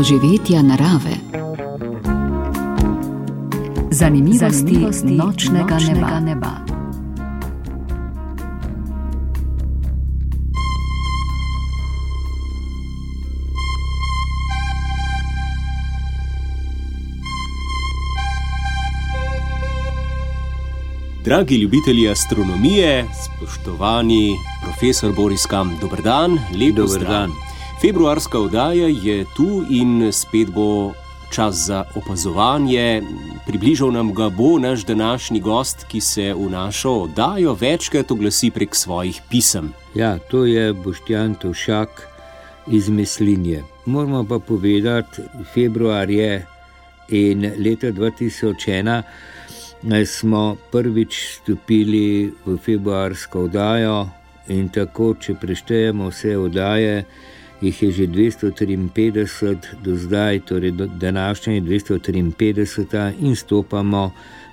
doživetja narave. Zanimivosti nočnega neba. Dragi ljubitelji astronomije, spoštovani profesor Boris Kam, dober dan, lep pozdrav. Februarska oddaja je tu in spet bo čas za opazovanje. Približal nam ga bo naš današnji gost, ki se v našo oddajo večkrat oglasi prek svojih pisem. Ja, to je Boštjan Tovšak iz Mislinje. Moramo pa povedati, februar je in leta 2001 smo prvič stopili v februarsko oddajo in tako, če preštejemo vse oddaje, jih je že 253 do zdaj, torej današnja je 253 in stopamo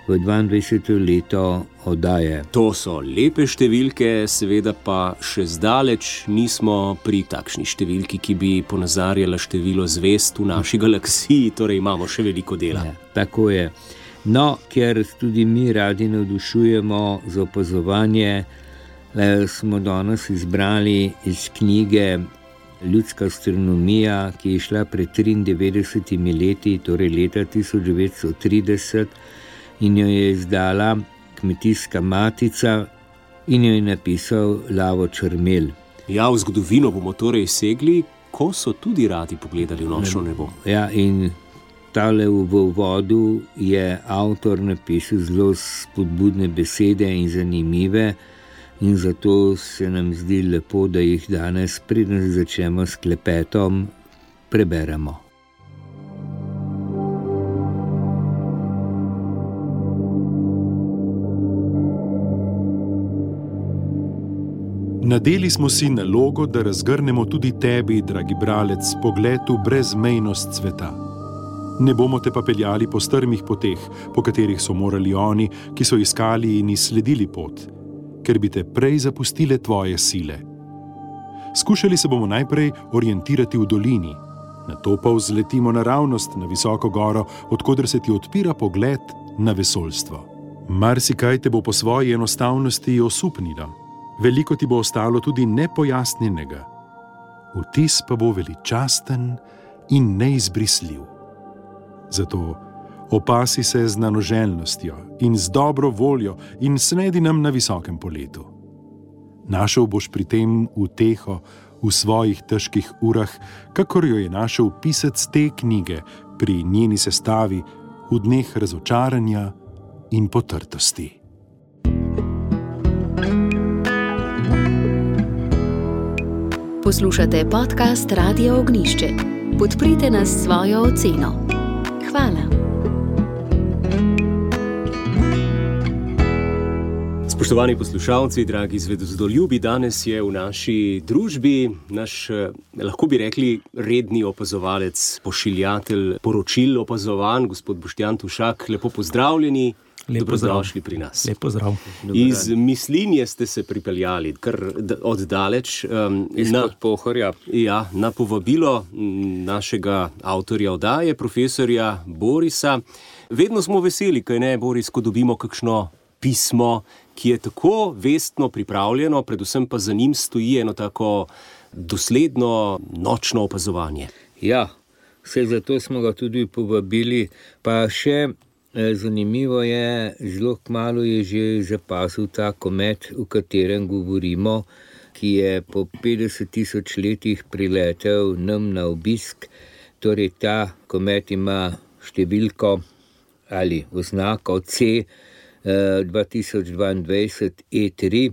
v 22. leto oddaje. To so lepe številke, seveda pa še zdaleč nismo pri takšni številki, ki bi ponazarjala število zvezd v naši galaksiji, torej imamo še veliko dela. Ja, tako je. No, ker tudi mi radi navdušujemo za opazovanje, smo danes izbrali iz knjige Ljudska astronomija, ki je šla pred 93 leti, torej leta 1930, in jo je izdala Kmetijska matica in jo je napisal Lavo Črmelj. Ja, v zgodovino bomo torej segli, ko so tudi radi pogledali v nočno nebo. Ja, in tale v uvodu je avtor napisal zelo spodbudne besede in zanimive in zato se nam zdi lepo, da jih danes, preden začnemo s klepetom, preberemo. Nadeli smo si nalogo, da razgrnemo tudi tebi, dragi bralec, pogled v brezmejnost sveta. Ne bomo te pa peljali po strmih poteh, po katerih so morali oni, ki so iskali in izsledili pot, ker bi te prej zapustile tvoje sile. Skušali se bomo najprej orientirati v dolini, nato pa vzletimo naravnost na visoko goro, odkoder se ti odpira pogled na vesoljstvo. Marsikaj te bo po svoji enostavnosti osupnilo, veliko ti bo ostalo tudi nepojasnjenega, vtis pa bo veličasten in neizbrisljiv. Zato opasi se z nanoželjnostjo in z dobro voljo in snedi nam na visokem poletu. Našel boš pri tem uteho v svojih težkih urah, kakor jo je našel pisec te knjige pri njeni sestavi v dneh razočaranja in potrtosti. Poslušate podcast Radio Ognjišče. Podprite nas s svojo oceno. Hvala. Spoštovani poslušalci, dragi zvedozdeljubi, danes je v naši družbi naš, lahko bi rekli, redni opazovalec, pošiljatelj poročil opazovanj, gospod Boštjan Tovšak. Lepo pozdravljeni. Dobrodošli pri nas. Lep pozdrav. Iz Mislinje ste se pripeljali kar oddaleč. Izpod Pohorja. Ja, na povabilo našega avtorja oddaje, profesorja Borisa. Vedno smo veseli, kaj ne, Boris, ko dobimo kakšno pismo, ki je tako vestno pripravljeno, predvsem pa za njim stoji eno tako dosledno nočno opazovanje. Ja, vse zato smo ga tudi povabili, pa še zanimivo je, zelo kmalu je že zapazil ta komet, o katerem govorimo, ki je po 50 000 letih priletel nam na obisk. Torej ta komet ima številko ali oznako C 2022 E3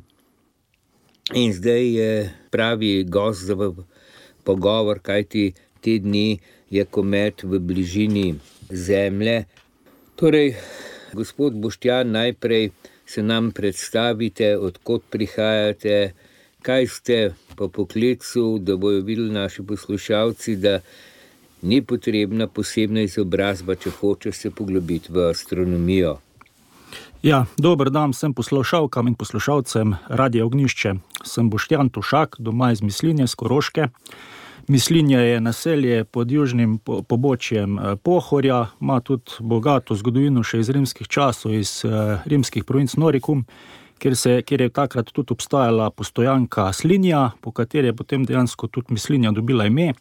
in zdaj je pravi gost za pogovor, kajti te dni je komet v bližini Zemlje. Torej, gospod Boštjan, najprej se nam predstavite, odkot prihajate, kaj ste po poklicu, da bojo videli naši poslušalci, da ni potrebna posebna izobrazba, če hoče se poglobiti v astronomijo. Ja, dober dan vsem poslušalkam in poslušalcem Radia Ognjišče. Sem Boštjan Tovšak, doma iz Mislinje, z Koroške. Mislinja je naselje pod južnim pobočjem Pohorja, ima tudi bogato zgodovino še iz rimskih časov, iz rimskih provinc Noricum, kjer je takrat tudi obstajala postojanka Slinja, po kateri je potem dejansko tudi Mislinja dobila ime.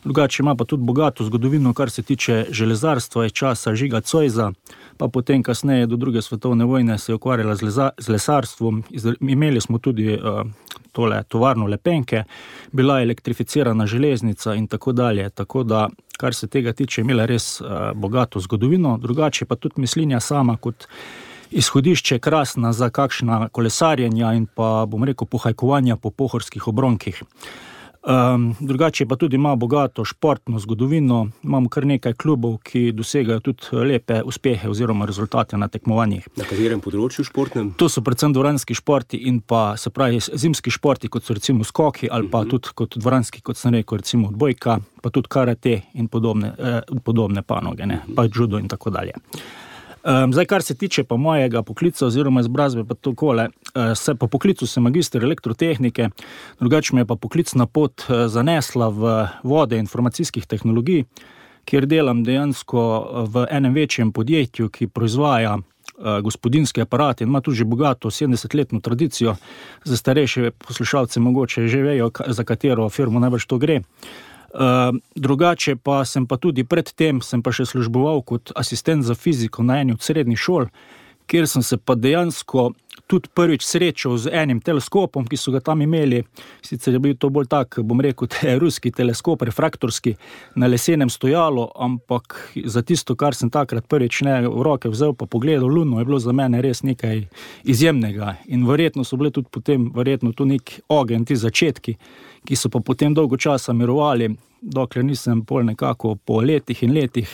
Drugače ima pa tudi bogato zgodovino, kar se tiče železarstva iz časa Žiga Zoisa, pa potem kasneje do druge svetovne vojne se je ukvarjala z lesarstvom. Imeli smo tudi tovarno lepenke, bila je elektrificirana železnica in tako dalje. Tako da, kar se tega tiče, imela res bogato zgodovino. Drugače pa tudi Mislinja sama kot izhodišče krasna za kakšna kolesarjenja in pa, bom rekel, pohajkovanja po pohorskih obronkih. Drugače pa tudi ima bogato športno zgodovino, imamo kar nekaj klubov, ki dosegajo tudi lepe uspehe oziroma rezultate na tekmovanjih. Na katerem področju športnem? To so predvsem dvoranski športi in pa, se pravi, zimski športi, kot so recimo skoki ali pa tudi kot dvoranski, kot sem rekel, recimo odbojka, pa tudi karate in podobne panoge, ne, pa judo in tako dalje. Zdaj, kar se tiče pa mojega poklica oziroma izobrazbe, pa takole, po poklicu sem magister elektrotehnike, drugače me je pa poklicna pot zanesla v vode informacijskih tehnologij, kjer delam dejansko v enem večjem podjetju, ki proizvaja gospodinske aparate in ima tudi že bogato 70-letno tradicijo. Za starejše poslušalce mogoče že vejo, za katero firmo najbrž to gre. Drugače pa sem pa tudi predtem še služboval kot asistent za fiziko na eni od srednjih šol, kjer sem se pa dejansko tudi prvič srečal z enim teleskopom, ki so ga tam imeli. Sicer je bil to bolj tak, bom rekel, ruski teleskop, refraktorski, na lesenem stojalu, ampak za tisto, kar sem takrat prvič v roke vzel pa pogledal luno, je bilo za mene res nekaj izjemnega. In verjetno so bile tudi potem, tu nek ogenj, ti začetki, ki so pa potem dolgo časa mirovali, dokler nisem pol nekako po letih in letih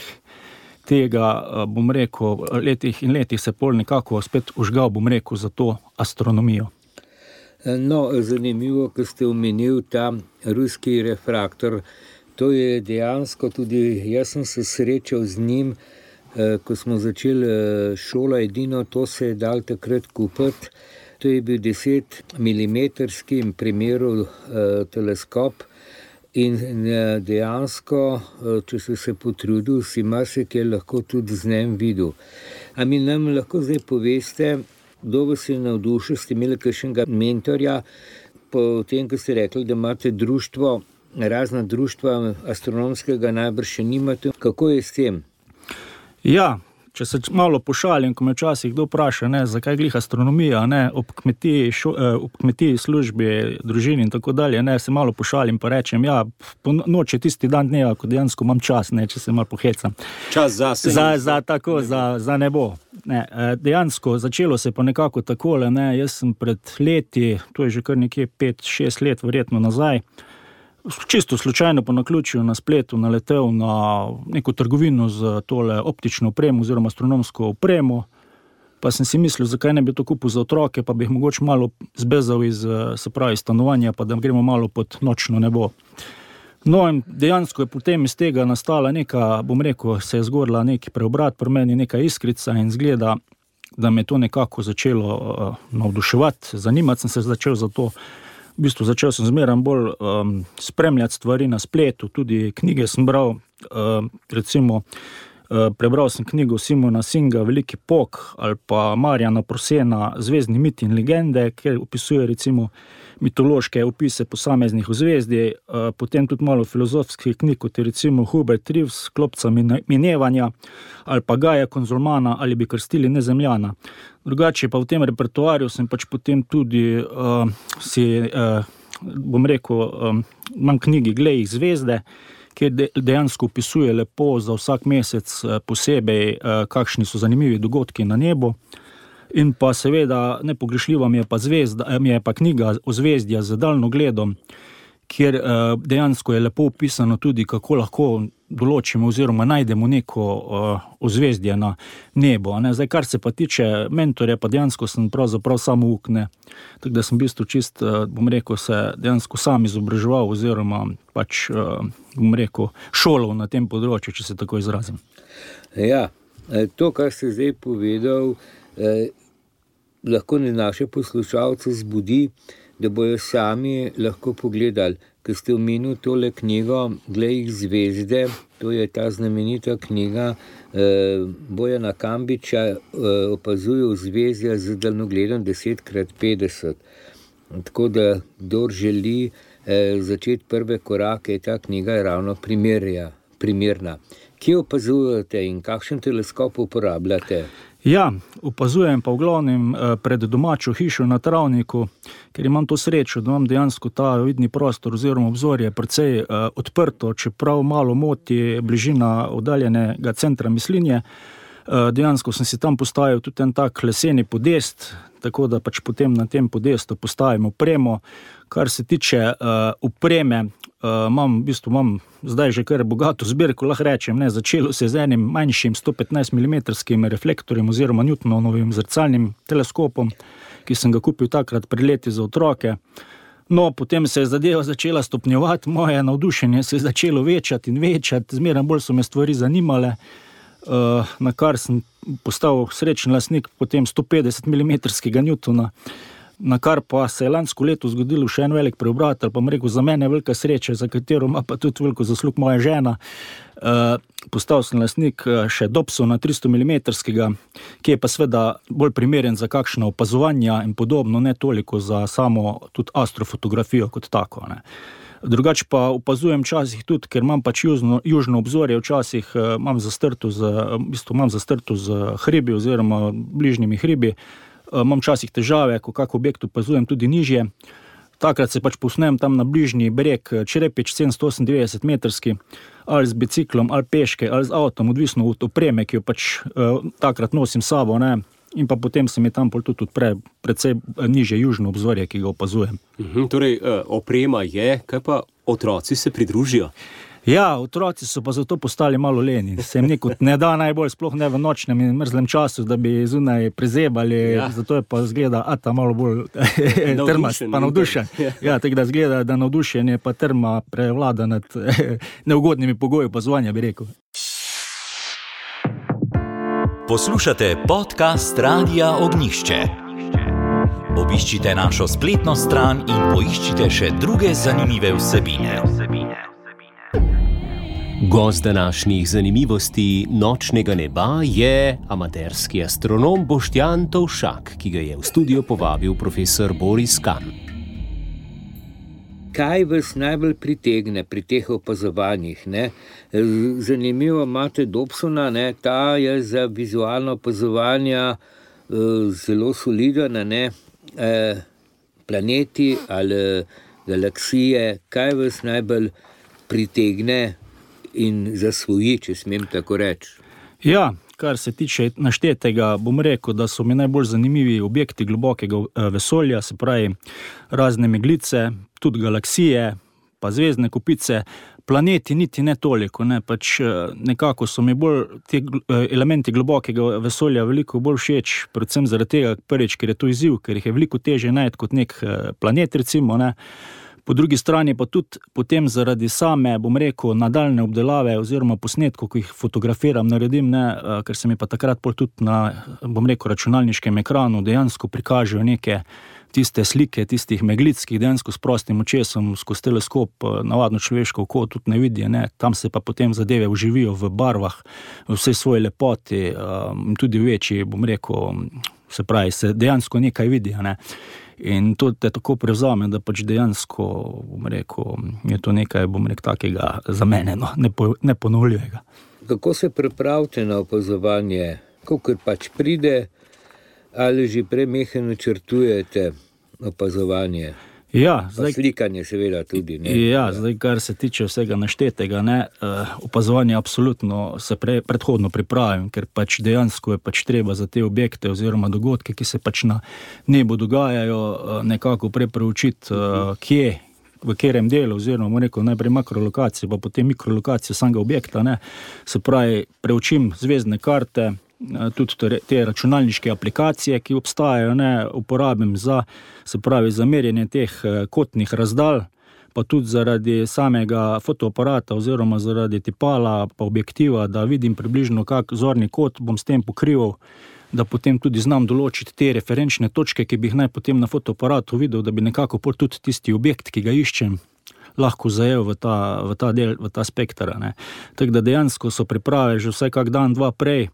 tega, bom rekel, letih se pol nekako spet užgal, bom rekel, za to astronomijo. No, zanimivo, ko ste omenil ta ruski refraktor, to je dejansko tudi, jaz sem se srečal z njim, ko smo začeli šolo, edino to se je dal takrat kupiti. To je bil 10 milimetrski primeru teleskop in dejansko, če si se potrudil, si marsikaj lahko tudi z njim videl. A mi nam lahko zdaj poveste, kdo vas je navdušil, ste imeli kakšnega mentorja, po tem, ko ste rekli, da imate društvo, razna društva astronomskega najbrž še nimate. Kako je s tem? Ja, če se malo pošalim, ko me včasih kdo vpraša, zakaj glih astronomija, ob kmetiji, službi, družini in tako dalje, se malo pošalim pa rečem, po noči tisti dan dneva, ko dejansko imam čas, če se malo pohecam. Čas za se. Za nebo. Dejansko začelo se pa nekako takole, jaz sem pred leti, to je že kar nekje 5-6 let verjetno nazaj, čisto slučajno po naključju na spletu naletel na neko trgovino z tole optično opremo oziroma astronomsko opremo, pa sem si mislil, zakaj ne bi to kupil za otroke, pa bi jih mogoče malo zbezal iz, se pravi, stanovanja, pa da gremo malo pod nočno nebo. No in dejansko je potem iz tega nastala neka, bom rekel, se je zgorila neki preobrat, pri meni neka iskrica in zgleda, da me to nekako začelo navduševati, zanimati sem se začel za to. V bistvu začel sem zmeram bolj spremljati stvari na spletu, tudi knjige sem bral, recimo prebral sem knjigo Simona Singa Veliki pok ali pa Marjana Prosena Zvezdni miti in legende, kjer opisuje recimo mitološke opise posameznih ozvezdij, potem tudi malo filozofskih knjig, kot je recimo Hubert Reeves, Klopca minevanja ali pa Gaja Konzulmana ali bi krstili Nezemljana. Drugače pa v tem repertoarju sem pač potem tudi bom rekel, imam knjigi Glej jih zvezde, kjer dejansko opisuje lepo za vsak mesec posebej, kakšni so zanimivi dogodki na nebu. In pa seveda nepogrešljiva mi je pa knjiga Ozvezdja z daljnogledom, kjer dejansko je lepo opisano tudi, kako lahko določimo oziroma najdemo neko ozvezdje na nebu. Zdaj, kar se pa tiče mentorja, pa dejansko sem pravzaprav samouk, tako da sem v bistvu čist, bom rekel, se dejansko sam izobraževal oziroma pač, bom rekel, šolal na tem področju, če se tako izrazim. Ja, to, kar ste zdaj povedal, lahko naše poslušalce zbudi, da bojo sami lahko pogledali. ko ste omenili tole knjigo Glej jih zvezde, to je ta znamenita knjiga Bojana Kambiča, opazuje ozvezdja z daljnogledom 10x50. Tako da, kdor želi začeti prve korake, je ta knjiga ravno primerna. Kje opazujete in kakšen teleskop uporabljate? Ja, opazujem pa v glavnem pred domačo hišo na travniku, ker imam to srečo, da imam dejansko ta vidni prostor oziroma obzorje precej odprto, čeprav malo moti bližina oddaljenega centra Mislinje. Dejansko sem si tam postavil tudi en tak leseni podest, tako da pač potem na tem podestu postavim opremo. Kar se tiče opreme, imam zdaj že kar bogato zbirko, lahko rečem, začelo se z enim manjšim 115 mm reflektorjem oziroma Newtonovim zrcalnim teleskopom, ki sem ga kupil takrat pred leti za otroke. No, potem se je zadeva začela stopnjevati, moje navdušenje se je začelo večati in večati, zmeraj bolj so me stvari zanimale, na kar sem postal srečen lastnik potem 150 mm Newtona, na kar pa se je lansko leto zgodilo še en velik preobrat, ali pa bom rekel, za mene velika sreča, za katero ima pa tudi veliko zaslug moja žena. Postal sem lastnik še Dobsona 300 mm, ki je pa seveda bolj primeren za kakšna opazovanja in podobno, ne toliko za samo tudi astrofotografijo kot tako, ne. Drugače pa opazujem včasih tudi, ker imam pač južno obzorje, včasih imam zastrto z hribi oziroma bližnjimi hribi, imam včasih težave, ko kak objekt opazujem tudi nižje. Takrat se pač posnem tam na bližnji breg Črepič 798 metrski, ali z biciklom, ali peške, ali z avtom, odvisno od opreme, ki jo pač takrat nosim sabo, ne. In pa potem se mi tam tudi odpre precej nižje južno obzorje, ki ga opazujem. Torej, oprema je, kaj pa otroci se pridružijo? Ja, otroci so pa zato postali malo leni. Se jim nekot ne da najbolj, sploh ne v nočnem in mrzlem času, da bi zunaj prezebali, zato je pa zgleda Ata malo bolj trmast, pa navdušen. Ja, tako da zgleda, da navdušenje pa trma prevlada nad neugodnimi pogoji opazovanja, bi rekel. Poslušate podcast Radia Ognjišče. Obiščite našo spletno stran in poiščite še druge zanimive vsebine. Gost današnjih zanimivosti nočnega neba je amaterski astronom Boštjan Tovšak, ki ga je v studio povabil profesor Boris Kam. Kaj vas najbolj pritegne pri teh opazovanjih, ne? Zanimivo imate Dobsona, ne? Ta je za vizualno opazovanja zelo soliden, ne? Planeti ali galaksije, kaj vas najbolj pritegne in zasvoji, če smem tako reči? Ja, kar se tiče naštetega, bom rekel, da so mi najbolj zanimivi objekti globokega vesolja, se pravi razne meglice, tudi galaksije, pa zvezdne kopice, planeti niti ne toliko, ne, pač nekako so mi bolj ti elementi globokega vesolja veliko bolj všeč, predvsem zaradi tega, prvič, ker je to izziv, ker jih je veliko težje najti kot nek planet, recimo, ne. Po drugi strani pa tudi potem zaradi same, bom rekel, nadaljne obdelave oziroma posnetkov, ko jih fotografiram, naredim, ne, ker se mi pa takrat pol tudi na, bom rekel, računalniškem ekranu dejansko prikažejo neke tiste slike, tistih meglic, ki jih dejansko s prostim očesom skozi teleskop navadno človeško oko tudi ne vidi, ne. Tam se pa potem zadeve vživijo v barvah, v vsej svoji lepoti, tudi večji, bom rekel, se pravi, se dejansko nekaj vidi, ne. In to te tako prevzame, da pač dejansko, bom rekel, je to nekaj, bom rekel, takega za mene, no, neponovljivega. Kako se pripravite na opazovanje? Kakor pač pride, ali že premehko načrtujete opazovanje? Ja, zdaj, slikanje seveda tudi, ne? Ja, zdaj, kar se tiče vsega naštetega, ne, opazovanje absolutno se predhodno pripravim, ker pač dejansko je pač treba za te objekte oziroma dogodke, ki se pač na nebu dogajajo, nekako preučiti, kje, v katerem delu, oziroma rekel, najprej makrolokacijo, pa potem mikrolokacijo samega objekta, ne. Se pravi, preučim zvezdne karte, tudi te računalniške aplikacije, ki obstajajo, ne, uporabim za, se pravi, za merjenje teh kotnih razdalj, pa tudi zaradi samega fotoaparata oziroma zaradi tipala pa objektiva, da vidim približno kak zorni kot bom s tem pokrival, da potem tudi znam določiti te referenčne točke, ki bi jih naj potem na fotoaparatu videl, da bi nekako tudi tisti objekt, ki ga iščem, lahko zajel v ta del, v ta spektra. Tako da dejansko so priprave že vsaj kak dan, dva prej.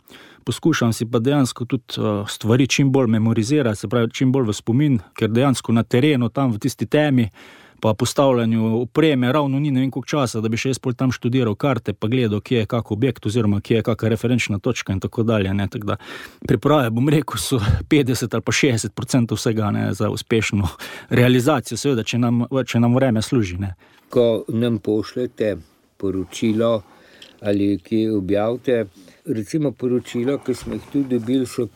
Poskušam si pa dejansko tudi stvari čim bolj memorizirati, se pravi čim bolj v spomin, ker dejansko na terenu, tam v tisti temi, pa postavljanju opreme, ravno ni ne vem koliko časa, da bi še jaz pol tam študiral karte, pa gledal, kje je kak objekt, oziroma kje je kaka referenčna točka in tako dalje. Tako da priprave, bom rekel, so 50 ali pa 60% vsega za uspešno realizacijo, seveda, če nam vreme služi. Ko nam pošljete poročilo ali kje objavite, recimo poročilo, ki smo jih tudi dobili, so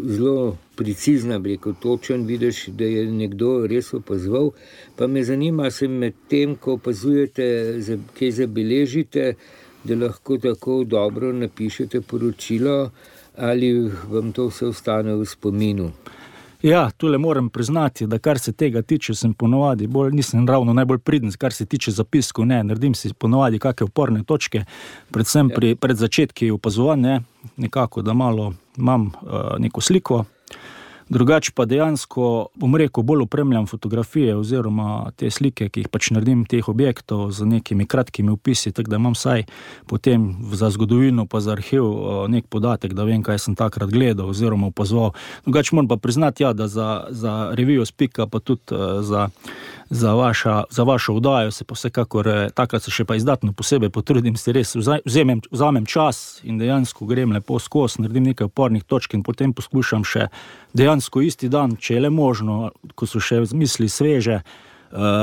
zelo precizna, točen, vidiš, da je nekdo res opazoval. Pa me zanima, se med tem, ko opazujete, kaj zabeležite, da lahko tako dobro napišete poročilo, ali vam to vse ostane v spominu? Ja, tule moram priznati, da kar se tega tiče, sem ponovadi nisem ravno najbolj priden, kar se tiče zapiskov, naredim si ponovadi kakšne oporne točke, predvsem pred začetki opazovanja, nekako, da malo imam neko sliko. Drugače pa dejansko, bom rekel, bolj opremljam fotografije oziroma te slike, ki jih pač naredim teh objektov z nekimi kratkimi opisi, tako da imam vsaj potem za zgodovino pa za arhiv nek podatek, da vem, kaj sem takrat gledal oziroma opazoval. Drugače moram pa priznati, da za revijo Spika pa tudi za vašo oddajo se pa vsekakor, takrat se še pa izdatno posebej potrudim, se res vzamem čas in dejansko grem lepo skozi, naredim nekaj opornih točk in potem poskušam še dejansko isti dan, če je le možno, ko so še misli sveže,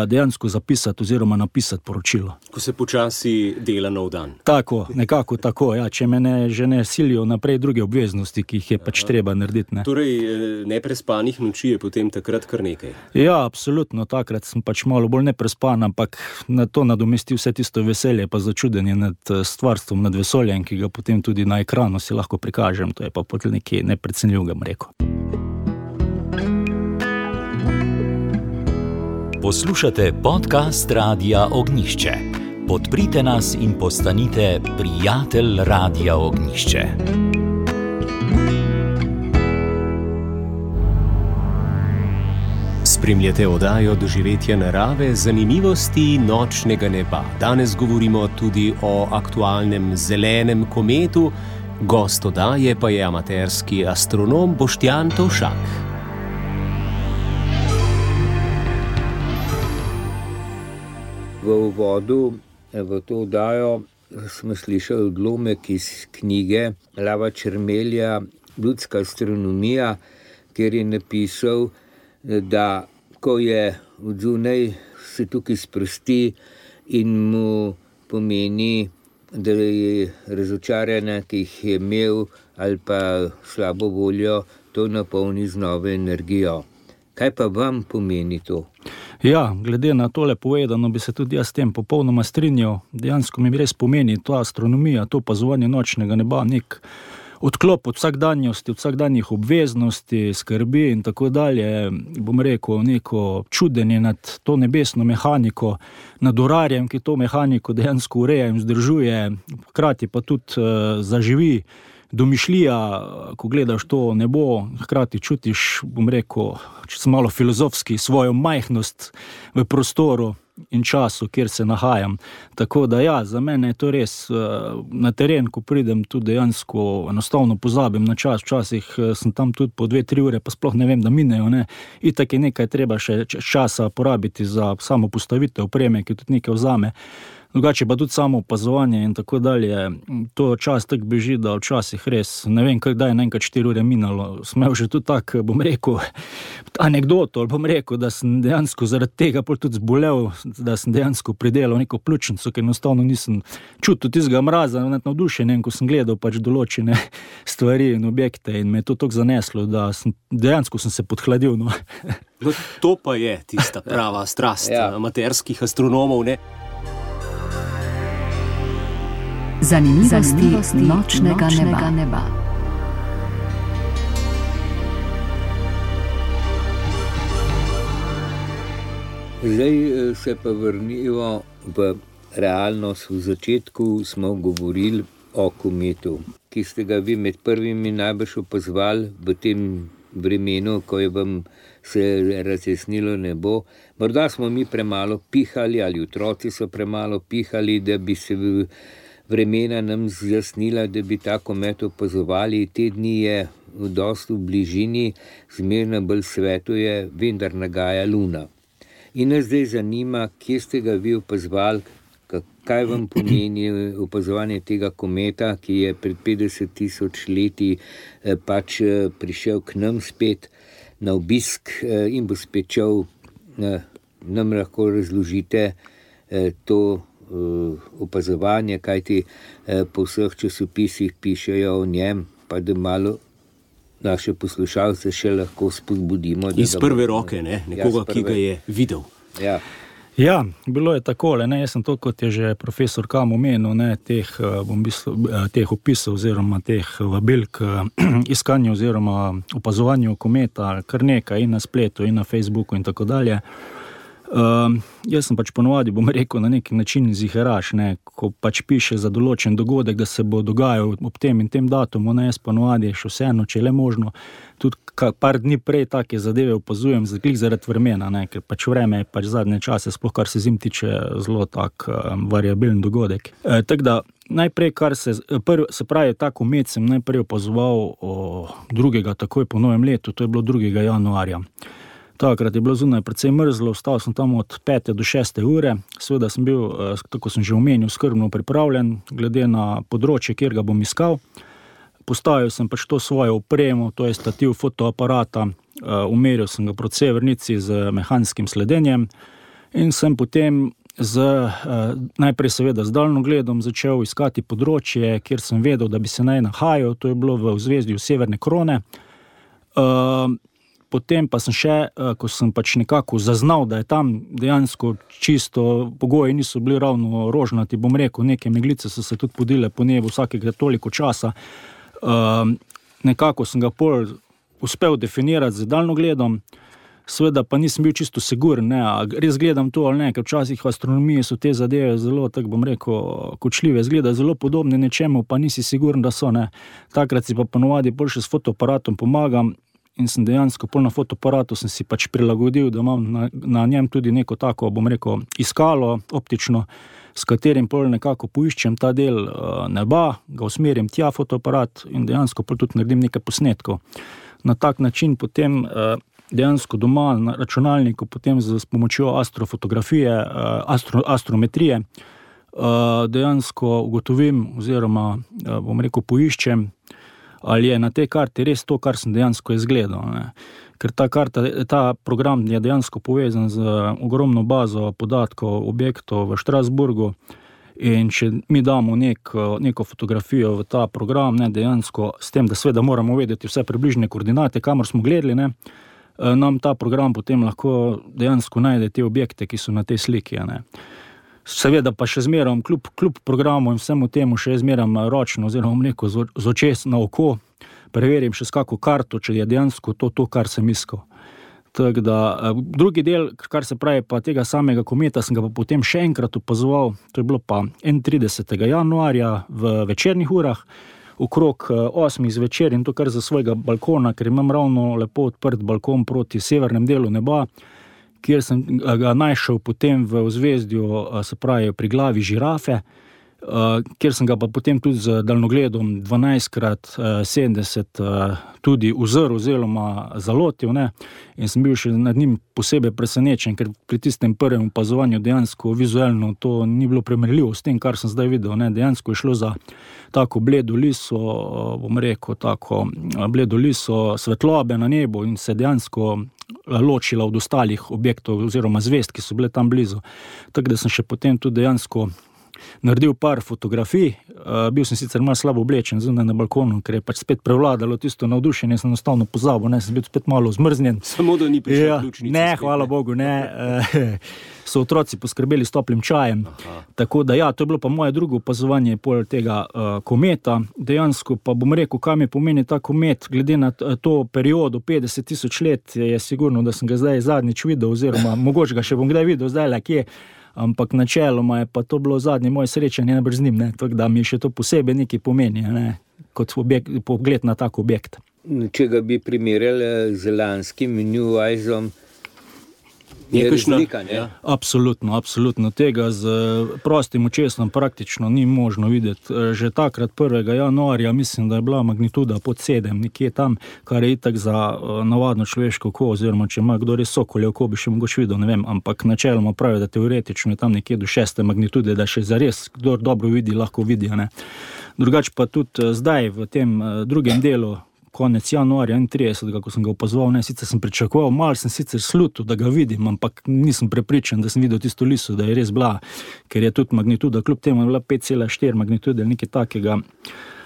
dejansko zapisati oziroma napisati poročilo. Ko se počasi dela nov dan. Tako, nekako tako, če me že ne silijo naprej druge obveznosti, ki jih je pač treba narediti. Torej, neprespanih noči je potem takrat kar nekaj? Ja, absolutno, takrat sem pač malo bolj neprespan, ampak na to nadomesti vse tisto veselje pa začudenje nad stvarstvom, nad vesoljem, ki ga potem tudi na ekranu si lahko prikažem, to je pa potem nekaj neprecenljivega, bom rekel. Poslušate podcast Radia Ognjišče. Podprite nas in postanite prijatelj Radia Ognjišče. Spremljate oddajo Doživetja narave, zanimivosti nočnega neba. Danes govorimo tudi o aktualnem zelenem kometu, gost oddaje pa je amaterski astronom Boštjan Tovšak. V uvodu v to oddajo smo slišali odlomek iz knjige Lava Čermelja Ljudska astronomija, kjer je napisal, da ko je odzunaj, se tukaj sprosti in mu pomeni, da je razočaranje, ki jih je imel, ali pa slabo voljo, to napolni z novo energijo. Kaj pa vam pomeni to? Ja, glede na tole povedano, bi se tudi jaz s tem popolnoma strinjal. Dejansko mi res pomeni ta astronomija, to opazovanje nočnega neba, nek odklop od vsakdanjosti, od vsakdanjih obveznosti, skrbi in tako dalje. Bom rekel, neko čudenje nad to nebesno mehaniko, nad urarjem, ki to mehaniko dejansko ureja in vzdržuje, hkrati pa tudi zaživi domišljija, ko gledaš to nebo, hkrati čutiš, bom rekel, če sem malo filozofski, svojo majhnost v prostoru in času, kjer se nahajam. Tako da ja, za mene je to res na teren, ko pridem tudi dejansko, enostavno pozabim na čas, včasih sem tam tudi po 2-3 ure, pa sploh ne vem, da minejo, Itak je nekaj treba še časa porabiti za samo postavitev opreme, ki tudi nekaj vzame. Drugače pa tudi samo opazovanje in tako dalje, to čas tako beži, da včasih res, ne vem, kdaj je naenkrat 4 ure minalo. Smel že tudi tak, bom rekel, anekdoto, bom rekel, da sem dejansko zaradi tega tudi zbolel, da sem dejansko pridelal neko pljučnico, ker enostavno nisem čutil tistega mraza, navdušenja, ko sem gledal pač določene stvari in objekte in me je to tako zaneslo, da dejansko sem se podhladil. No, to pa je tista prava strast amaterskih astronomov, Zanimivosti nočnega neba. Zdaj se pa vrnimo v realnost. V začetku smo govorili o kometu, ki ste ga vi med prvimi najbolj opazovali v tem vremenu, ko je vam se razjasnilo nebo. Morda smo mi premalo pihali ali otroci so premalo pihali, da bi se vremena nam zjasnila, da bi ta komet opazovali. Te dni je dosti v bližini, zmerno bolj svetuje, vendar nagaja luna. In nas zdaj zanima, kje ste ga vi opazovali, kaj vam pomeni opazovanje tega kometa, ki je pred 50 000 leti pač prišel k nam spet na obisk in bo spet šel. Nam lahko razložite to opazovanje, kajti po vseh časopisih pišejo o njem, pa da malo naše poslušalce še lahko spodbudimo. Iz prve roke, nekoga, ki ga je videl. Ja, bilo je takole, jaz sem to, kot je že profesor Kam omenil, teh opisov oziroma teh vabil k iskanju oziroma opazovanju kometa, kar nekaj in na spletu in na Facebooku in tako dalje. Jaz sem pač ponovadi, bom rekel, na neki način ziheraš, ko pač piše za določen dogodek, da se bo dogajal ob tem in tem datumu, jaz ponovadi še vseeno, če le možno, tudi par dni prej take zadeve opazujem, zaradi vremena, ker pač vreme je pač zadnje čase, sploh kar se zim tiče, zelo tak variabilen dogodek. Tako da najprej, se pravi, ta komet sem najprej opazoval 2. takoj po novem letu, to je bilo 2. januarja. Takrat je bilo zunaj precej mrzlo, ostal sem tam od 5 do 6 ure, seveda sem bil, tako sem že omenil, skrbno pripravljen, glede na področje, kjer ga bom iskal. Postavil sem pač to svojo opremo, to je stativ fotoaparata, umeril sem ga proti severnici z mehanskim sledenjem in sem potem najprej seveda z daljnogledom začel iskati področje, kjer sem vedel, da bi se naj nahajal, to je bilo v ozvezdju Severne krone. Potem pa sem še, ko sem pač nekako zaznal, da je tam dejansko čisto pogoji niso bili ravno rožnati, bom rekel, neke meglice so se tudi podile po nebu vsakega toliko časa. Nekako sem ga pol uspel definirati z daljnogledom, seveda pa nisem bil čisto siguren, a res gledam to ali ne, ker včasih v astronomiji so te zadeve zelo, tako bom rekel, kočljive, zgleda zelo podobne nečemu, pa nisi siguren, da so, Takrat si pa ponovadi bolj še s fotoaparatom pomagam, in sem dejansko pol na fotoaparatu sem si pač prilagodil, da imam na njem tudi neko tako, bom rekel, iskalo optično, s katerim pol nekako poiščem ta del neba, ga usmerim tja fotoaparat in dejansko pol tudi naredim nekaj posnetkov. Na tak način potem dejansko doma na računalniku potem s pomočjo astrofotografije, astrometrije dejansko ugotovim oziroma, bom rekel, poiščem, ali je na tej karti res to, kar sem dejansko izgledal. Ker ta program je dejansko povezan z ogromno bazo podatkov objektov v Strasburgu in če mi damo neko fotografijo v ta program, dejansko s tem, da seveda moramo vedeti vse približne koordinate, kamor smo gledali, nam ta program potem lahko dejansko najde te objekte, ki so na tej sliki. Seveda pa še zmeram, kljub programu in vsemu temu še zmeram ročno oziroma rekel z očes na oko, preverim še s kako karto, če je dejansko to, kar sem iskal. Tako da, drugi del, kar se pravi pa tega samega kometa, sem ga pa potem še enkrat opazoval, to je bilo pa 31. januarja v večernih urah, okrog 8 zvečer in to kar za svojega balkona, ker imam ravno lepo odprt balkon proti severnem delu neba, kjer sem ga našel potem v ozvezdju, se pravi pri glavi žirafe, kjer sem ga pa potem tudi z daljnogledom 12x70 tudi uzrl oziroma zalotil, in sem bil še nad njim posebej presenečen, ker pri tistem prvem opazovanju dejansko vizualno to ni bilo primerljivo s tem, kar sem zdaj videl, dejansko je šlo za tako bledo liso, bom rekel, tako bledo liso svetlobe na nebu in se dejansko ločila od ostalih objektov oziroma zvezd, ki so bile tam blizu. Tako da sem še potem tudi dejansko naredil par fotografij, bil sem sicer malo slabo oblečen zunaj na balkonu, ker je pač spet prevladalo tisto navdušenje, sem enostavno pozabil, sem bil spet malo zmrznjen. Samo da ni prišel ključnica. Ne, hvala Bogu, so otroci poskrbeli s toplim čajem. Tako da to je bilo pa moje drugo opazovanje pol tega kometa. Dejansko pa bom rekel, kaj mi pomeni ta komet, glede na to periodo 50 000 let, je sigurno, da sem ga zdaj zadnjič videl, oziroma mogoče ga še bom kdaj videl zdaj kje, ampak načeloma je pa to bilo zadnje moje srečanje najbrž z njim, tako da mi še to posebej nekaj pomeni, kot pogled na tak objekt. če ga bi primerjali z lanskim New Eyes-om, je razlika, ne? Ja. Absolutno. Tega z prostim očesom praktično ni možno videti. Že takrat 1. januarja mislim, da je bila magnituda pod 7, nekje tam, kar je itak za navadno človeško oko, oziroma če ima kdo res sokolje oko, bi še mogoče videl, ne vem, ampak načeloma pravi, da teoretično je tam nekje do 6. magnitude, da še zares, kdo dobro vidi, lahko vidi, ne. Drugače pa tudi zdaj v tem drugem delu, konec januarja 31, ko sem ga opazoval, ne, sicer sem pričakoval, malo sem sicer slutil, da ga vidim, ampak nisem prepričan, da sem videl tisto liso, da je res bila, ker je tudi magnituda, kljub temu je bila 5,4 magnitude, nekaj takega.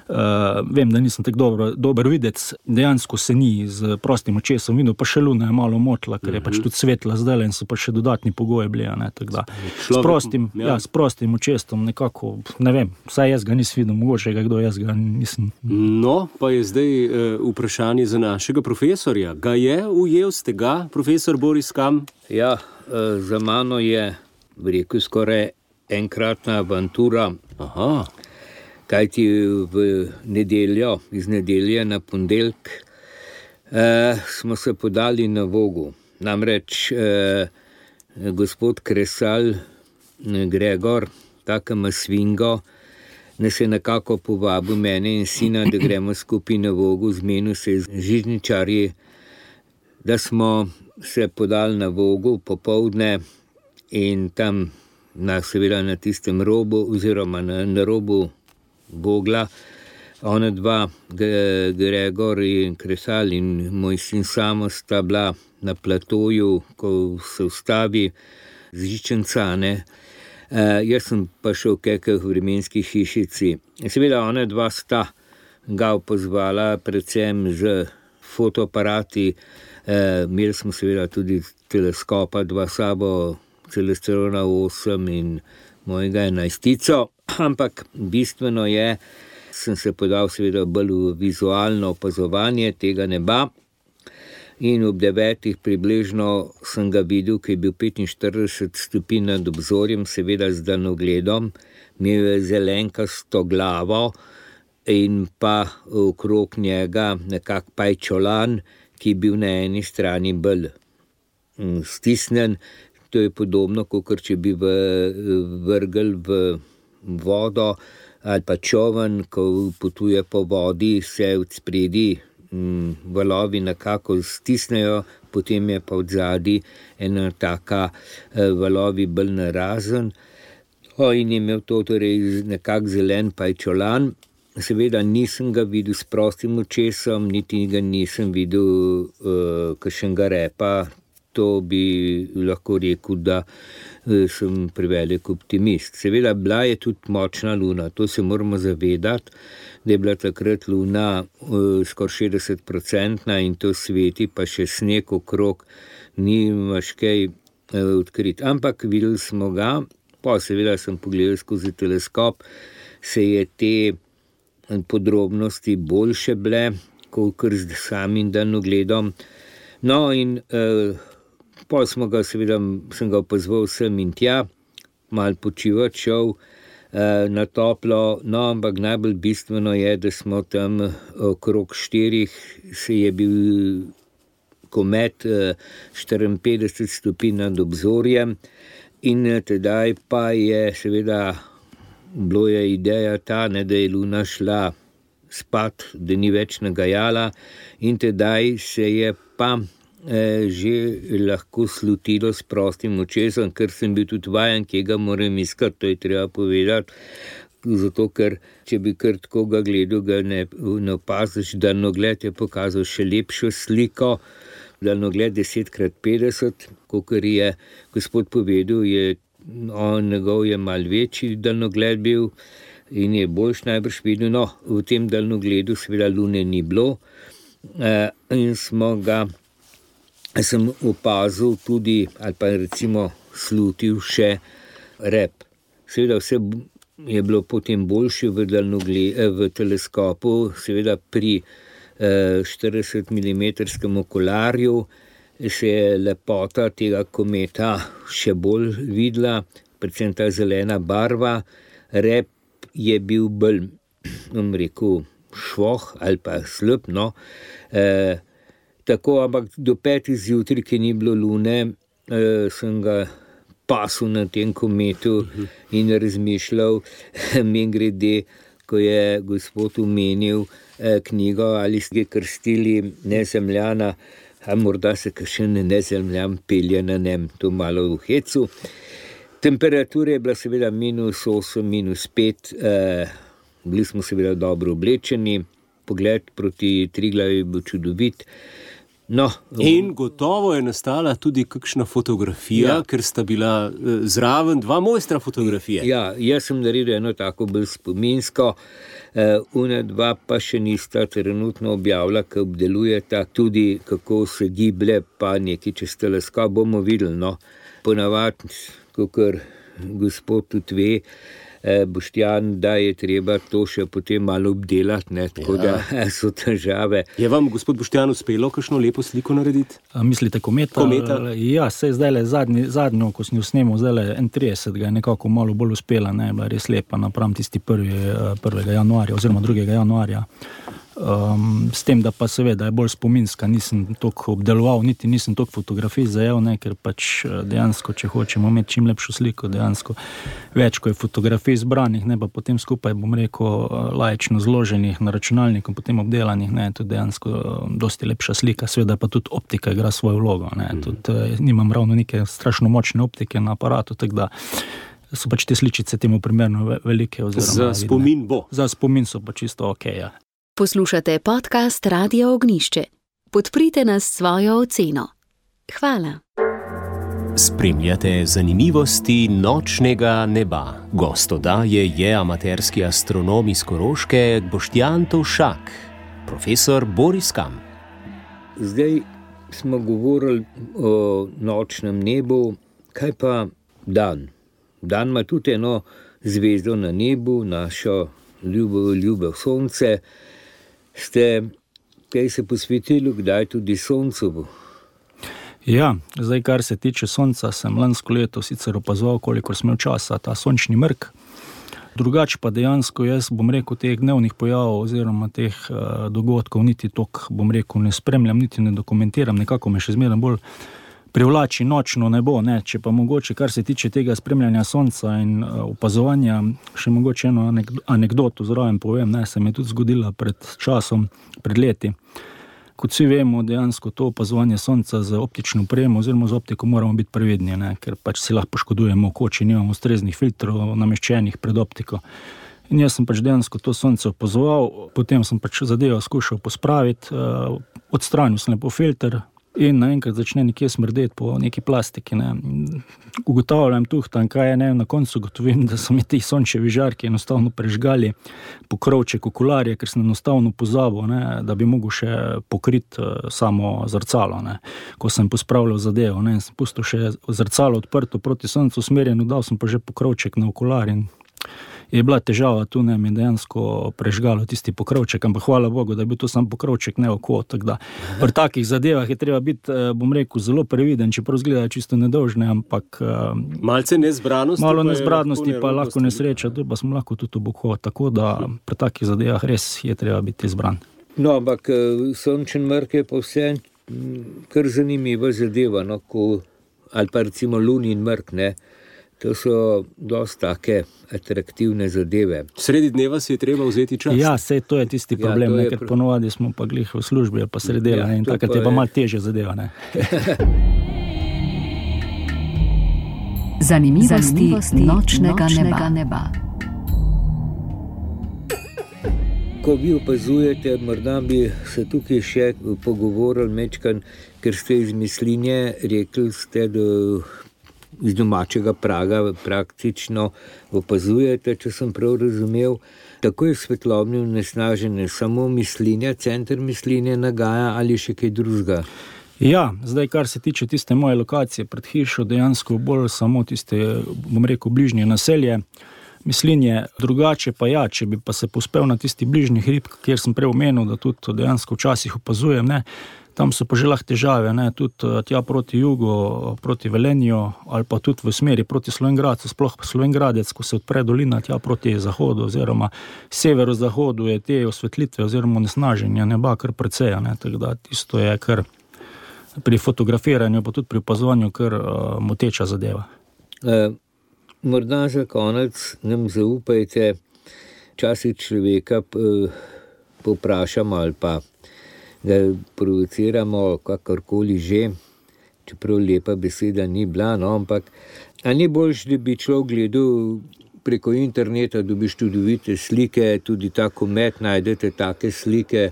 Vem, da nisem tako dober videc, dejansko se ni z prostim očesom videl, pa še luna je malo motla, ker je pač tudi svetla zdaj in so pa še dodatni pogoji bili, ne, tako da. S prostim očesom nekako, ne vem, vsaj jaz ga nisem videl, mogoče ga kdo, jaz ga nisem. No, pa je zdaj vprašanje za našega profesorja. Ga je ujel ste ga, profesor Boris Kam? Ja, za mano je, rekel, skoraj enkratna avantura. Aha. Kajti iz nedelje na ponedeljek smo se podali na Vogu. Namreč gospod Kresal, Gregor, takama svingo, nas je nekako povabil mene in sina, da gremo skupaj na Vogu, zmenil se z žičničarji, da smo se podali na Vogu popoldne in tam seveda na tistem robu oziroma na robu Vogla, ona dva, Gregor in Kresal in moj sin Samo sta bila na platoju, ko se ustavi z Žičanca, ne. Jaz sem pa šel v kakih vremenskih hišici. Seveda ona dva sta ga opazvala predvsem z fotoaparati, imeli smo seveda tudi teleskopa, dva sabo, Celestron 8 in mojega 11, ampak bistveno je, sem se podal seveda bolj v vizualno opazovanje tega neba in ob 9 približno sem ga videl, ki je bil 45 stopinj nad obzorjem, seveda z daljnogledom, imel je zelenkasto glavo in pa okrog njega nekak pajčolan, ki je bil na eni strani bolj stisnen. To je podobno, kot če bi vrgel v vodo ali pa čovn, ko potuje po vodi, se od spredi valovi nekako stisnejo, potem je pa od zadaj ena taka valovi bolj narazen. In je imel to torej nekak zelen pajčolan. Seveda nisem ga videl s prostim očesom, niti ga nisem videl kakšnega repa. To bi lahko rekel, da sem prevelik optimist. Seveda bila je tudi močna luna, to se moramo zavedati, da je bila takrat luna skoraj 60% in to sveti, pa še sneg okrog, ni imaš kaj odkriti. Ampak videli smo ga, pa seveda sem pogledal skozi teleskop, se je te podrobnosti boljše bile, kot z samim daljnogledom. No in pol sem ga opazoval sem in tja, malo počivati šel na toplo, no, ampak najbolj bistveno je, da smo tam okrog 4, se je bil komet 54 stopinj nad obzorjem in tedaj pa je seveda bilo je ideja ta, ne, da je luna šla spat, da ni več nagajala in tedaj se je pa že lahko slutilo s prostim očesom, ker sem bil tudi vajen, kje ga moram iskati, to je treba povedati, zato ker če bi kar tako ga gledal, ga ne opaziš, daljnogled je pokazal še lepšo sliko, daljnogled 10x50, kakor je gospod povedal, njegov je malo večji daljnogled bil in je boljš najbrž videl, no, v tem daljnogledu seveda lune ni bilo in sem opazil tudi, ali pa recimo slutil še rep. Seveda vse je bilo potem boljše v teleskopu, seveda pri 40 mm okularju se je lepota tega kometa še bolj videla, predvsem ta zelena barva. Rep je bil bolj, bom rekel, švoh ali pa slep, no. Tako, ampak do 5 zjutraj, ki ni bilo lune, sem ga pasil na tem kometu in razmišljal, mimogrede, ko je gospod omenil knjigo, ali ste krstili Nezemljana, a morda se kakšen nezemljan pelje na njem, to malo v hecu. Temperatura je bila seveda -8, -5, bili smo seveda dobro oblečeni, pogled proti Triglavi je bil čudovit. No, in gotovo je nastala tudi kakšna fotografija, ker sta bila zraven 2 mojstra fotografije. Ja, jaz sem naredil eno tako bolj spominsko, una 2 pa še nista trenutno objavila, ki obdelujeta tudi, kako se giblje, pa nekaj čez teleskop bomo videli, no. Ponavadi, kakor gospod tudi ve, Boštjan, da je treba to še potem malo obdelati, ne, tako da so težave. Je vam, gospod Boštjan, uspelo kakšno lepo sliko narediti? Mislite kometa? Ja, sej zdajle zadnjo, ko sem jo snemal, zdajle 31. je nekako malo bolj uspela, ne, bila res lepa napram tisti 1. januarja oziroma 2. januarja. S tem, da pa seveda je bolj spominska, nisem toliko obdeloval, niti nisem toliko fotografij zajel, ne, ker pač dejansko, če hočemo imeti čim lepšo sliko, dejansko več, ko je fotografij zbranih, ne, pa potem skupaj, bom rekel, laično zloženih na računalniku, potem obdelanih, ne, to dejansko dosti lepša slika, seveda pa tudi optika igra svojo vlogo, ne, tudi nimam ravno neke strašno močne optike na aparatu, tako da so pač te sličice temu primerno velike. Za spomin bo. Za spomin so pa čisto okej, ja. Poslušate podcast Radia Ognjišče. Podprite nas s svojo oceno. Hvala. Spremljate zanimivosti nočnega neba. Gost oddaje je amaterski astronom iz Koroške Boštjan Tovšak, profesor Boris Kam. Zdaj smo govorili o nočnem nebu, kaj pa dan? Dan ima tudi eno zvezdo na nebu, našo ljubo sonce. Ste kaj se posvetili, kdaj tudi soncu? Ja, zdaj kar se tiče sonca, sem lansko leto sicer opazoval, kolikor sem imel časa, ta sončni mrk. Drugače pa dejansko jaz, bom rekel, teh dnevnih pojavov oziroma teh dogodkov niti toliko, bom rekel, ne spremljam, niti ne dokumentiram, nekako me še zmeraj bolj privlači nočno nebo, ne, če pa mogoče, kar se tiče tega spremljanja sonca in opazovanja, še mogoče eno anekdoto zraven povem, ne, se mi je tudi zgodila pred časom, pred leti. Kot vsi vemo, dejansko to opazovanje sonca z optično opremo oziroma z optiko moramo biti previdni, ne, ker pač si lahko poškodujemo oko, če nimamo ustreznih filtrov nameščenih pred optiko. In jaz sem pač dejansko to sonce opazoval, potem sem pač zadevo skušal pospraviti, odstranil sem lepo filter, in naenkrat začne nekje smrdeti po neki plastiki, ne. Ugotavljam tuhtam, kaj je, ne, na koncu gotovim, da so mi ti sončevi žarki enostavno prežgali pokrovček okularja, ker sem enostavno pozabil, ne, da bi mogel še pokriti samo zrcalo, ne. Ko sem pospravljal zadevo, ne, sem pustil še zrcalo odprto proti soncu usmerjeno, dal sem pa že pokrovček na okular in je bila težava tu, ne, mi dejansko prežgalo tisti pokrovček, ampak hvala Bogu, da je bil to sam pokrovček, ne oko, tako da pri takih zadevah je treba biti, bom rekel, zelo previden, čeprav izgleda čisto nedolžne, ampak malce nezbranosti, malo nezbranosti pa lahko nesreča, tu pa smo lahko tudi oboko, tako da pri takih zadevah res je treba biti izbran. No, ampak sončen mrk je pa vse kar zanimiva zadeva, no, ali pa recimo lunin mrk, ne. To so dosti take atraktivne zadeve. Sredi dneva si je treba vzeti čas. Ja, sej to je tisti problem, ker ponovadi smo pa glih v službi ali pa sredela, in takrat je pa malo težje zadeva, ne. Zanimivosti nočnega neba. Ko vi opazujete, morda bi se tukaj še pogovorili mečkan, ker ste iz Mislinje, rekli ste, da iz domačega Praga praktično opazujete, če sem prav razumel, tako je svetlobne onesnaženje samo Mislinja, center Mislinje nagaja ali še kaj drugega? Ja, zdaj kar se tiče tiste moje lokacije pred hišo, dejansko bolj samo tiste, bom rekel, bližnje naselje Mislinje, drugače pa ja, če bi pa se pospel na tisti bližnji hrib, kjer sem prej omenil, da tudi dejansko včasih opazujem, ne, Tam so pa že lahko težave, ne, tudi tja proti jugu, proti Velenju, ali pa tudi v smeri proti Slovenjgradcu, sploh Slovenjgradec, ko se odpre dolina tja proti zahodu, oziroma severozahodu je te osvetlitve oziroma onesnaženja neba kar precej, ne, tako da tisto je kar pri fotografiranju, pa tudi pri opazovanju kar moteča zadeva. Morda za konec nam zaupajte, včasih človeka povprašamo ali pa da provociramo kakorkoli že, čeprav lepa beseda ni bila, no, ampak a ni boljš, da bi človek gledal preko interneta, dobiš čudovite slike, tudi ta komet, najdete take slike.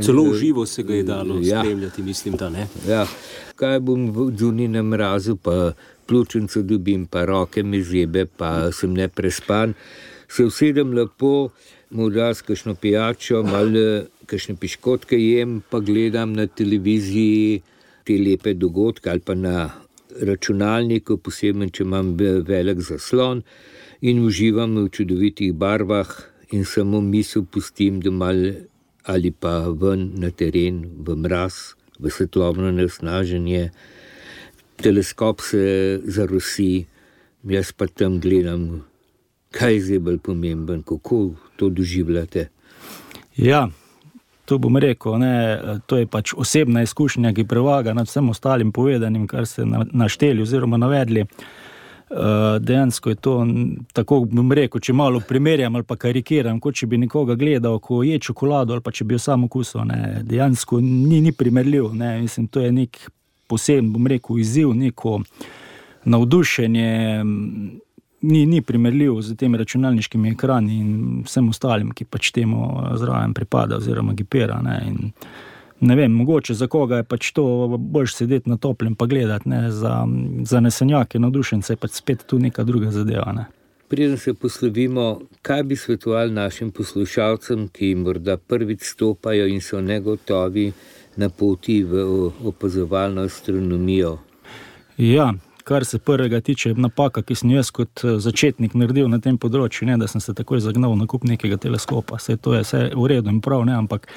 Celo v živo se ga je dalo spremljati, mislim, da ne. Ja, kaj bom v zunaj na mrazu, pa pljučnico dobim, pa roke me zebe, pa sem neprespan. Se usedem lepo, morda s kakšno pijačo, malo kakšne piškotke jem, pa gledam na televiziji te lepe dogodke ali pa na računalniku, posebno, če imam velik zaslon in uživam v čudovitih barvah in samo misel pustim, da malo ali pa ven na teren, v mraz, v svetlobno onesnaženje. Teleskop se zarosi, jaz pa tam gledam, kaj je zdaj bolj pomemben, kako to doživljate. Ja, to bom rekel, ne, to je pač osebna izkušnja, ki prevaga nad vsem ostalim povedanim, kar ste našteli oziroma navedli. Dejansko je to, tako bom rekel, če malo primerjam ali pa karikiram, kot če bi nekoga gledal, ko je čokolado ali pa če bi jo sam okusil, ne, dejansko ni primerljiv, ne, mislim, to je nek poseben, bom rekel, izziv, neko navdušenje, ni primerljiv z temi računalniškimi ekrani in vsem ostalim, ki pač temu zraven pripada oziroma gipera, ne, in ne vem, mogoče za koga je pač to boljš sedeti na toplem pa gledati, ne, za nesenjake, navdušence je pač spet tu neka druga zadeva, ne. Preden se poslovimo, kaj bi svetovali našim poslušalcem, ki morda prvič stopajo in so negotovi na poti v opazovalno astronomijo? Ja, kar se prvega tiče, napaka, ki sem jaz kot začetnik naredil na tem področju, ne, da sem se takoj zagnal na kup nekega teleskopa. Vse to je vse v redu in prav, ne, ampak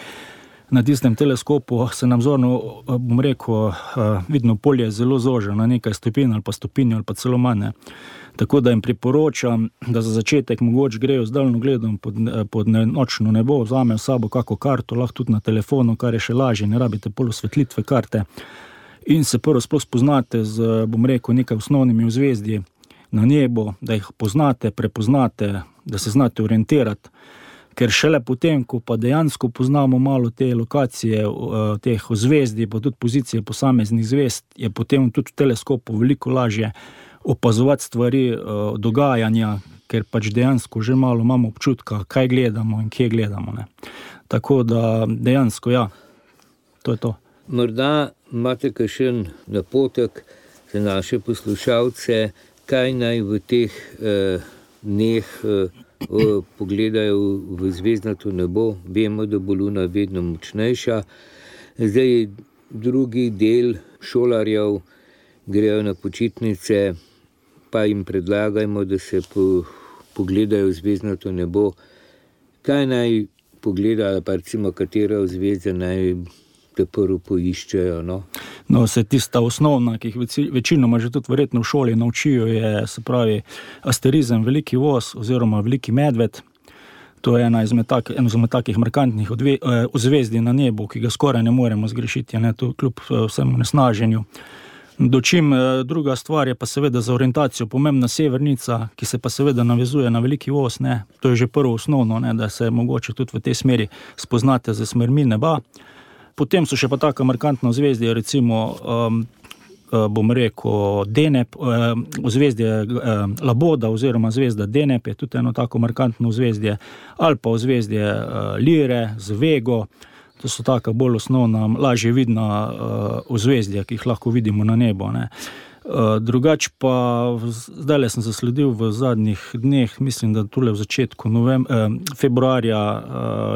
na tistem teleskopu se nam zorno, bom rekel, vidno polje zelo zoža na nekaj stopinj ali pa stopinj ali pa celo manj. Tako da jim priporočam, da za začetek mogoče grejo z daljnogledom pod nočno nebo, vzamejo s sabo kako karto, lahko tudi na telefonu, kar je še lažje, ne rabite pol osvetlitve karte. In se prvo sploh spoznate z, bom rekel, nekaj osnovnimi ozvezdji na nebu, da jih poznate, prepoznate, da se znate orientirati. Ker šele potem, ko pa dejansko poznamo malo te lokacije, teh ozvezdij, pa tudi pozicije posameznih zvezd, je potem tudi v teleskopu veliko lažje opazovati stvari, dogajanja, ker pač dejansko že malo imamo občutka, kaj gledamo in kje gledamo, ne. Tako da dejansko, ja, to je to. Morda imate kakšen napotek za naše poslušalce, kaj naj v teh dneh pogledajo v zvezdnato nebo. Vemo, da bo luna vedno močnejša. Zdaj drugi del šolarjev grejo na počitnice, pa jim predlagajmo, da se pogledajo v zvezdnato nebo. Kaj naj pogledajo, pa recimo katera zvezda naj te prvo poiščejo, no? No, se tista osnovna, ki jih večinoma že tudi verjetno v šoli naučijo, je, se pravi, asterizem, veliki voz oziroma veliki medved. To je eno izmed takih markantnih ozvezdij na nebu, ki ga skoraj ne moremo zgrešiti, ne, to kljub vsemu nesnaženju. Dočim druga stvar je pa seveda za orientacijo pomembna severnica, ki se pa seveda navezuje na veliki voz, ne. To je že prvo osnovno, ne, da se mogoče tudi v tej smeri spoznate z smermi neba. Potem so še pa taka markantna ozvezdja, recimo, bom rekel, Deneb, ozvezdje Laboda oziroma zvezda Deneb je tudi eno tako markantno ozvezdje, ali pa ozvezdje Lire z Vego. To so taka bolj osnovna, lažje vidna ozvezdja, ki jih lahko vidimo na nebu, ne. Drugač pa, zdajle sem zasledil v zadnjih dneh, mislim, da tule v začetku februarja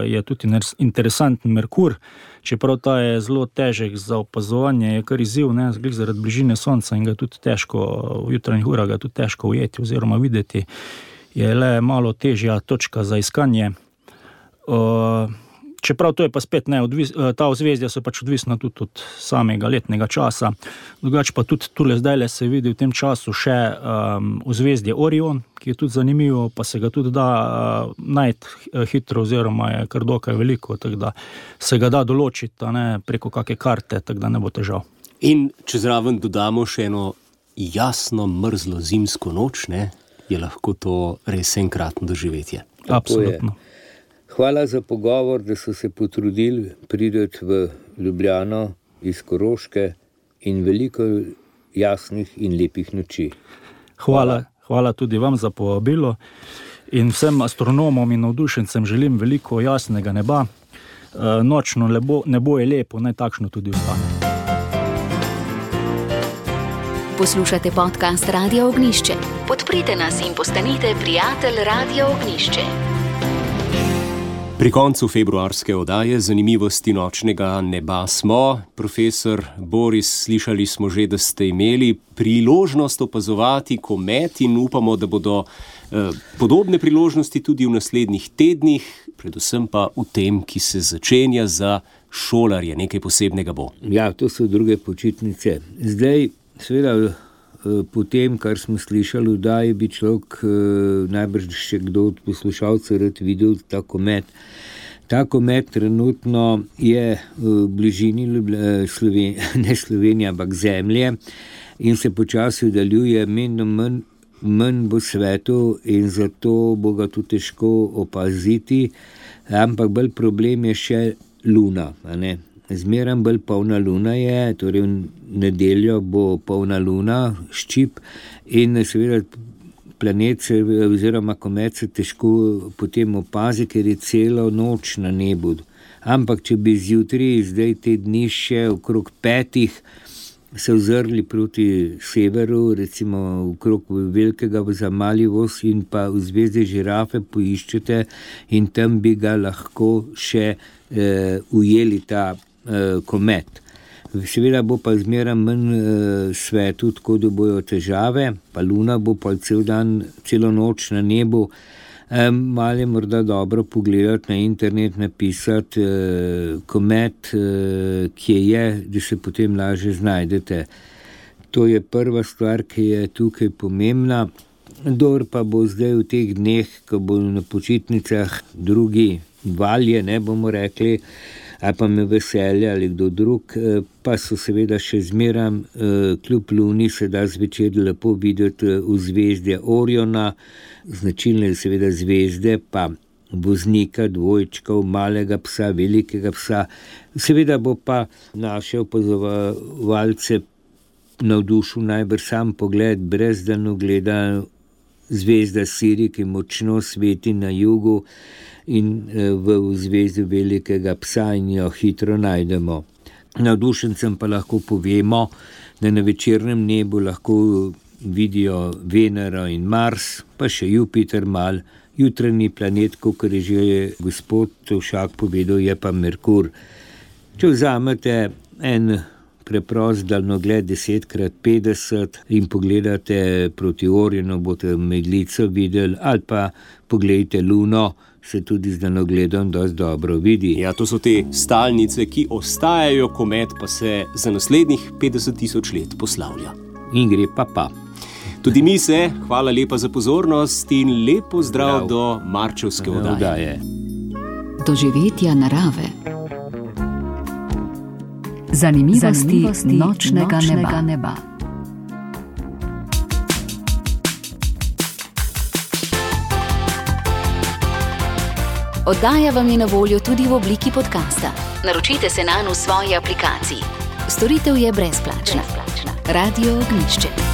je tudi interesanten Merkur, čeprav ta je zelo težek za opazovanje, je kar izziv, ne, zaradi bližine sonca in ga tudi težko, v jutranjih urah ga tudi težko ujeti oziroma videti, je le malo težja točka za iskanje. Čeprav to je pa spet ta ozvezdja so pač odvisna tudi od samega letnega časa. Drugače pa tudi tule zdajle se vidi v tem času še ozvezdje Orion, ki je tudi zanimivo, pa se ga tudi da najti hitro oziroma je kar dokaj veliko, tako da se ga da določiti preko kakšne karte, tako da ne bo težav. In če zraven dodamo še eno jasno mrzlo zimsko noč, je lahko to res enkratno doživetje. Absolutno. Hvala za pogovor, da so se potrudili priti v Ljubljano iz Koroške in veliko jasnih in lepih noči. Hvala tudi vam za povabilo in vsem astronomom in navdušencem želim veliko jasnega neba. Nočno nebo je lepo, naj takšno tudi ostane. Poslušate podcast Radia Ognjišče. Podprite nas in postanite prijatelj Radia Ognjišče. Pri koncu februarske oddaje Zanimivosti nočnega neba smo. Profesor Boris, slišali smo že, da ste imeli priložnost opazovati komet in upamo, da bodo podobne priložnosti tudi v naslednjih tednih, predvsem pa v tem, ki se začenja za šolarje. Nekaj posebnega bo. Ja, to so druge počitnice. Zdaj, seveda, po tem, kar smo slišali, da bi človek najbrž še kdo od poslušalcev rad videl ta komet. Ta komet trenutno je v bližini ne Slovenije, ampak Zemlje in se počasi oddaljuje, manj bo svetu in zato bo ga tudi težko opaziti, ampak bolj problem je še Luna, Zmeraj bolj polna luna je, torej v nedeljo bo polna luna, ščip in seveda planet oziroma komet se težko potem opazi, ker je celo noč na nebu. Ampak če bi zjutraj, zdaj te dni še okrog 5 se ozrli proti severu, recimo okrog velikega Zamalivos in pa v zvezde Žirafe poiščete in tam bi ga lahko še ujeli ta komet. Seveda bo pa zmeraj manj svetu, tako da bojo težave, pa luna bo pa celo noč na nebu. Malo je morda dobro pogledati na internet, napisati komet, kje je, da se potem lažje znajdete. To je prva stvar, ki je tukaj pomembna. Dor pa bo zdaj v teh dneh, ko bo na počitnicah drugi valje, bomo rekli, ali pa me veselje ali kdo drug, pa so seveda še zmeram, kljub luni se da zvečer lepo videti v zvezdje Oriona, značilne seveda zvezde, pa voznika, dvojčkov, malega psa, velikega psa. Seveda bo pa naše opazovalce navdušil najbrž sam pogled brez daljnogleda zvezda Siri, ki močno sveti na jugu in v zvezdi velikega psa in jo hitro najdemo. Navdušencem pa lahko povemo, da na večernem nebu lahko vidijo Venero in Mars, pa še Jupiter mal, jutranji planet, kakor je že gospod Tovšak povedal, je pa Merkur. Če vzamete en preprost daljnogled 10x50 in pogledate proti Orionu, boste meglico videli, ali pa pogledajte luno, se tudi z daljnogledom dosti dobro vidi. Ja, to so te stalnice, ki ostajajo, komet pa se za naslednjih 50.000 let poslavlja. In gre pa. Tudi mi se, hvala lepa za pozornost in lep pozdrav do marčevske oddaje. Doživetja narave. Zanimivosti nočnega neba. Oddaja vam je na voljo tudi v obliki podcasta. Naročite se nanj v svoji aplikaciji. Storitev je brezplačna. Radio Ognjišče.